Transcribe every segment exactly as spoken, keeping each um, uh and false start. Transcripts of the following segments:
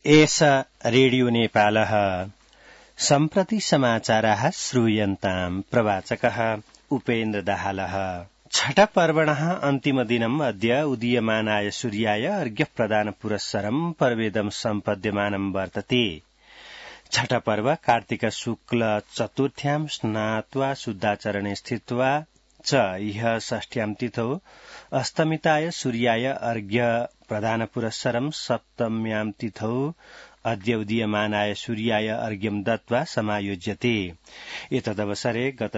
एष रेडियो नेपालः सम्प्रति समाचाराः श्रूयन्ताम् प्रवाचकः उपेन्द्र दाहालः। छठ पर्वणः अन्तिमदिनम् अद्य उदीयमानाय सूर्याय अर्घ्यप्रदान पुरस्सरम् पर्वेदम् सम्पद्यमानम् वर्तते। छठ पर्व कार्तिक शुक्ल चतुर्थ्याम् स्नात्वा शुद्धाचरणे स्थित्वा च इह षष्ठ्याम् तिथौ अस्तमिताय सूर्याय अर्घ्य प्रदान पुरस्सरम् सप्तम्याम् तिथौ अद्य उदीयमानाय सूर्याय अर्घ्यम् दत्त्वा समायोज्यते। एतदवसरे गत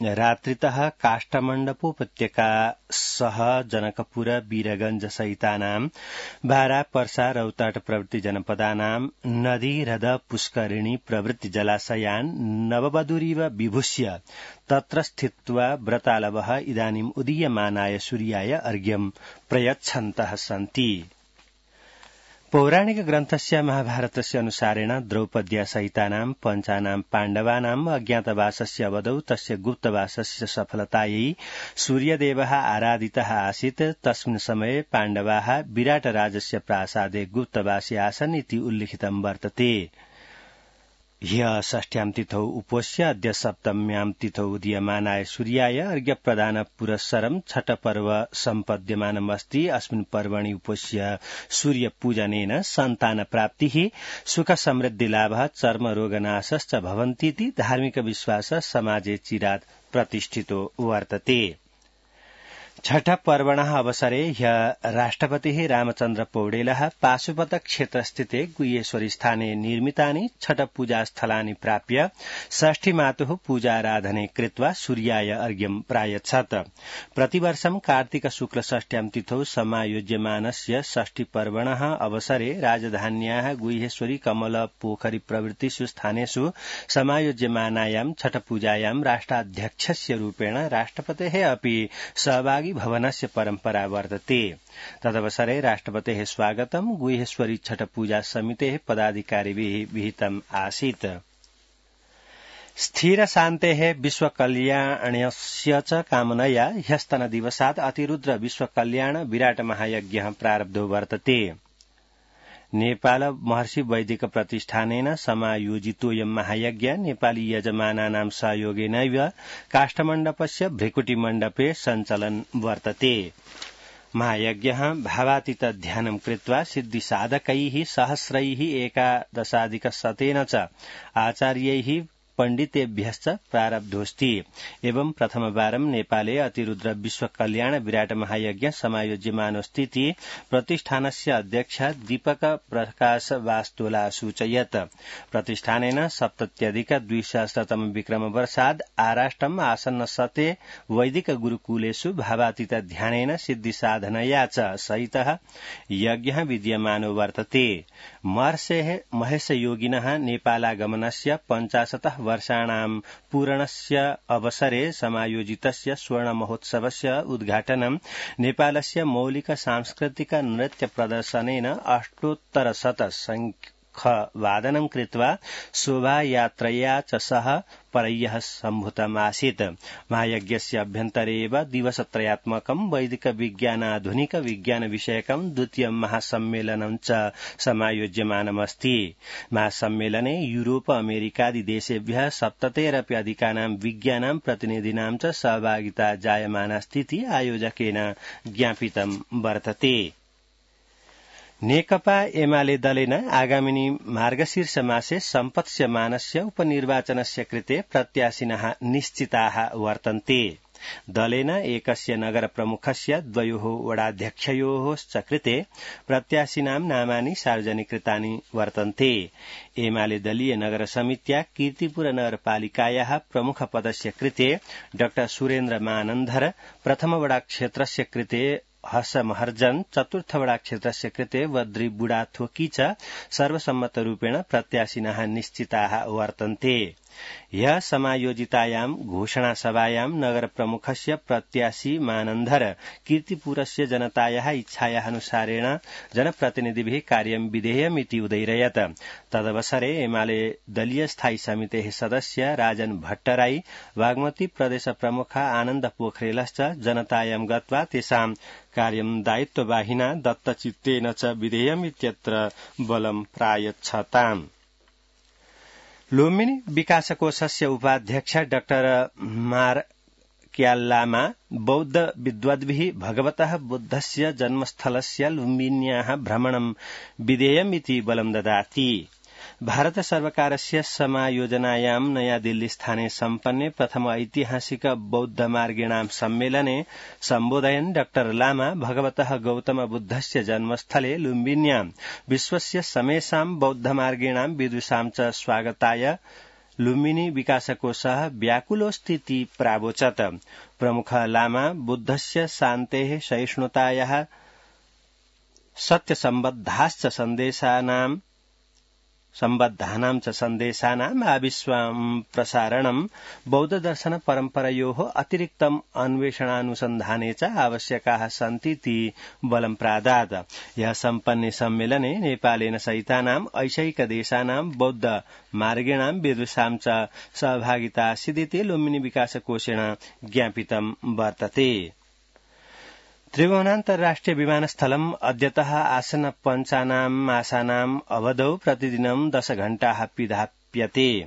रात्रितः काष्ठमण्डपोपत्यका सह जनकपुर वीरगंज सहितानाम् बारा पर्सा रौतहट प्रभृति जनपदानाम् नदी हृद पुष्करिणी प्रभृति जलाशयान् नववधूरिव विभूष्य तत्र स्थित्वा व्रतालवः इदानीम् उदीयमानाय सूर्याय अर्घ्यम् प्रयच्छन्तः सन्ति। पौराणिक ग्रन्थस्य महाभारतस्य अनुसारेण द्रौपद्या सहितानाम् पञ्चानाम् पाण्डवानाम् अज्ञातवासस्य अवधौ तस्य गुप्तवासस्य सफलतायै सूर्यदेवः आराधितः आसीत्। तस्मिन् समये पाण्डवाः विराटराजस्य प्रासादे गुप्तवासी आसन् इति उल्लिखितं वर्तते। ह्यः षष्ठ्याम् तिथौ उपोष्य अद्य सप्तम्याम् तिथौ उदीयमानाय सूर्याय अर्घ्यप्रदान पुरस्सरम् छठ पर्व सम्पद्यमानमस्ति। अस्मिन् पर्वणि उपोष्य सूर्यपूजनेन सन्तान प्राप्तिः सुख समृद्धि लाभः चर्मरोगनाशश्च भवन्तीति धार्मिक विश्वासः समाजे चिरात् प्रतिष्ठितो वर्तते। छठ पर्वणः अवसरे ह्यः राष्ट्रपतिः रामचन्द्र पौडेलः पाशुपत क्षेत्रस्थिते गुह्येश्वरी स्थाने निर्मितानि छठ पूजास्थलानि प्राप्य षष्ठी मातुः पूजाराधने कृत्वा सूर्याय अर्घ्यम् प्रायच्छत्। प्रतिवर्षं कार्तिक शुक्ल षष्ठ्याम् तिथौ समायोज्यमानस्य षष्ठी पर्वणः अवसरे राजधान्याः गुह्येश्वरी कमल पोखरी प्रभृतिषु स्थानेषु समायोज्यमानायां छठ पूजायां राष्ट्राध्यक्षस्य रूपेण राष्ट्रपतेः अपि सहभागी भवनस्य परम्परा वर्तते। तदवसरे राष्ट्रपतेः स्वागतं गुह्येश्वरी छठ पूजा समितेः पदाधिकारिभिः विहितम् आसीत्। स्थिर शान्तेः विश्वकल्याणस्य च कामनया ह्यस्तनदिवसात् अतिरुद्र विश्वकल्याण विराट महायज्ञः प्रारब्धो वर्तते। नेपाल महर्षि वैदिक प्रतिष्ठानेन समायोजितोऽयं महायज्ञ नेपाली यजमानानां सहयोगेनैव काष्ठमण्डपस्य भृकुटिमण्डपे सञ्चलन् वर्तते। महायज्ञः भावातीत ध्यानं कृत्वा सिद्धिसाधकैः सहस्रैः एकादशाधिकशतेन च आचार्यैः पण्डितेभ्यश्च प्रारब्धोऽस्ति। एवं प्रथमवारं नेपाले अतिरुद्र विश्वकल्याण विराट महायज्ञ समायोज्यमानोऽस्तीति प्रतिष्ठानस्य अध्यक्ष दीपक प्रकाश वास्तोला सूचयत्। प्रतिष्ठानेन सप्तत्यधिक द्विसहस्रतम विक्रमवर्षाद् आराष्ट्रम् आसन्न शते वैदिक गुरुकुलेषु भावातीत ध्यानेन सिद्धिसाधनया च सहितः यज्ञः विद्यमानो वर्तते। महर्षेः महेशयोगिनः नेपालागमनस्य पञ्चाशतः वर्षाणां पूरणस्य अवसरे समायोजितस्य स्वर्णमहोत्सवस्य उद्घाटनं नेपालस्य मौलिक सांस्कृतिक नृत्य प्रदर्शनेन अष्टोत्तरशत शङ्खवादनं कृत्वा शोभायात्रया च सह परय्यः सम्भूतमासीत्। महायज्ञस्य अभ्यन्तरे एव दिवसत्रयात्मकं वैदिक विज्ञानाधुनिक विज्ञान विषयकं द्वितीयं महासम्मेलनं च समायोज्यमानमस्ति। महासम्मेलने यूरोप अमेरिकादि देशेभ्यः सप्ततेरपि अधिकानां विज्ञानां प्रतिनिधीनां च सहभागिता जायमानास्तीति आयोजकेन ज्ञापितं वर्तते। नेकपा एमाले दलेन आगामिनी मार्गशीर्ष मासे सम्पत्स्यमानस्य उपनिर्वाचनस्य कृते प्रत्याशिनः निश्चिताः वर्तन्ते। दलेन एकस्य नगर प्रमुखस्य द्वयोः वडाध्यक्षयोः च कृते प्रत्याशिनां नामानि सार्वजनिकृतानि वर्तन्ते। एमाले दलीय नगर समित्या कीर्तिपुर नगरपालिकायाः प्रमुख पदस्य कृते डाक्टर सुरेन्द्र मानन्धर, प्रथम वडा क्षेत्रस्य कृते हर्ष महर्जन, चतुर्थ वडा क्षेत्रस्य कृते वद्री बुढाथोकी च सर्वसम्मतरूपेण प्रत्याशिनः निश्चिताः वर्तन्ते। ह्यः समायोजितायां घोषणासभायां नगरप्रमुखस्य प्रत्याशी मानन्धर कीर्तिपुरस्य जनतायाः इच्छायाः अनुसारेण जनप्रतिनिधिभिः कार्यं विधेयमिति उदैरयत्। तदवसरे एमाले दलीय स्थायी समितेः सदस्य राजन भट्टराई, बागमती प्रदेश प्रमुख आनन्द पोखरेलश्च जनतायां गत्वा तेषां कार्यं दायित्ववाहिना दत्तचित्तेन च विधेयमित्यत्र बलं प्रायच्छताम्। लुम्बिनी विकासकोषस्य उपाध्यक्ष डाक्टर मार्क्याल्लामा बौद्ध विद्वद्भिः भगवतः बुद्धस्य जन्मस्थलस्य लुम्बिन्याः भ्रमणं विधेयमिति बलं ददाति। भारत सर्वकारस्य समायोजनायां नयादिल्लीस्थाने सम्पन्ने प्रथम ऐतिहासिक बौद्ध मार्गिणां सम्मेलने सम्बोधयन् डॉ लामा भगवतः गौतम बुद्धस्य जन्मस्थले लुम्बिन्यां विश्वस्य समेषां बौद्धमार्गिणां विदुषां च स्वागताय लुम्बिनी विकासकोषः व्याकुलोऽस्तीति प्रावोचत्। प्रमुख लामा बुद्धस्य शान्तेः सहिष्णुतायाः सत्यसम्बद्धाश्च सन्देशानां सम्बद्धानां च सन्देशानाम् आविश्वां प्रसारणं बौद्धदर्शन परम्परयोः अतिरिक्तम् अन्वेषणानुसन्धाने च आवश्यकाः सन्तीति बलं प्रादात्। यः सम्पन्ने सम्मेलने नेपालेन सहितानाम् ऐशैकदेशानां बौद्ध मार्गिणां विदुषां च सहभागिता आसीदिति लुम्बिनी विकासकोषेण ज्ञापितं वर्तते। त्रिभुवनान्तर्राष्ट्रिय विमानस्थलम् अद्यतः आसन्न पञ्चानाम् मासानाम् अवधौ प्रतिदिनं दश घण्टाः पिधाप्यते।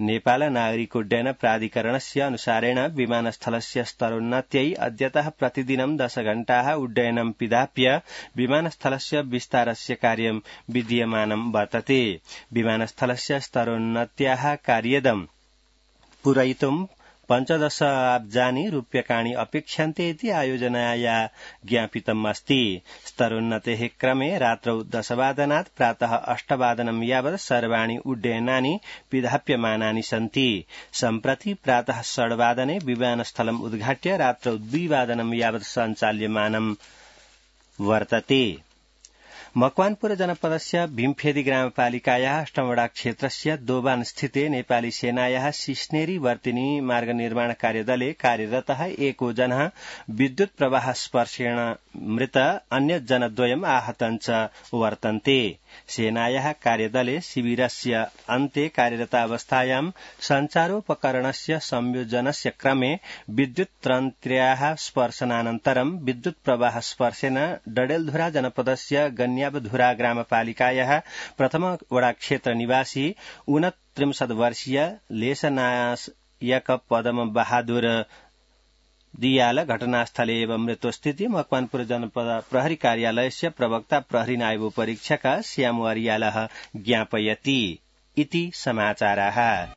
नेपाल नागरिकोड्डयन प्राधिकरणस्य अनुसारेण विमानस्थलस्य स्तरोन्नत्यै अद्यतः प्रतिदिनं दश घण्टाः उड्डयनं पिधाप्य विमानस्थलस्य विस्तारस्य कार्यं विधीयमानं वर्तते। विमानस्थलस्य स्तरोन्नत्याः कार्यदं पूरयितुं पञ्चदश अब्जानि रूप्यकाणि अपेक्ष्यन्ते इति आयोजनाया ज्ञापितम् अस्ति। स्तरोन्नतेः क्रमे रात्रौ दशवादनात् प्रातः अष्टवादनं यावत् सर्वाणि उड्डयनानि पिधाप्यमानानि सन्ति। सम्प्रति प्रातः षड्वादने विमानस्थलम् उद्घाट्य रात्रौ द्विवादनं यावत् सञ्चाल्यमानं वर्तते। मकवानपुर जनपदस्य भीमफेदी ग्रामपालिकायाः अष्टमवडा क्षेत्रस्य दोबान स्थिते नेपाली सेनायाः सिस्नेरी वर्तिनी मार्ग निर्माण कार्यदले कार्यरतः एको जनः विद्युत प्रवाह स्पर्शेण मृत, अन्य जनद्वयम् आहतं च वर्तन्ते। सेनायाः कार्यदले शिविरस्य अन्ते कार्यरतावस्थायां सञ्चारोपकरणस्य संयोजनस्य क्रमे विद्युत तन्त्र्याः स्पर्शनानन्तरं विद्युत प्रवाह स्पर्शेन डडेलधुरा जनपदस्य गन्यावधुरा ग्रामपालिकायाः प्रथम वडा क्षेत्र निवासी ऊनत्रिंशत् वर्षीय लेसनायक पदम बहादुर दियाल घटनास्थले एव मृत्युस्थिति मकवानपुर जनपद प्रहरी कार्यालयस्य प्रवक्ता प्रहरी नायब परीक्षक श्याम अरियालः ज्ञापयति इति समाचाराः।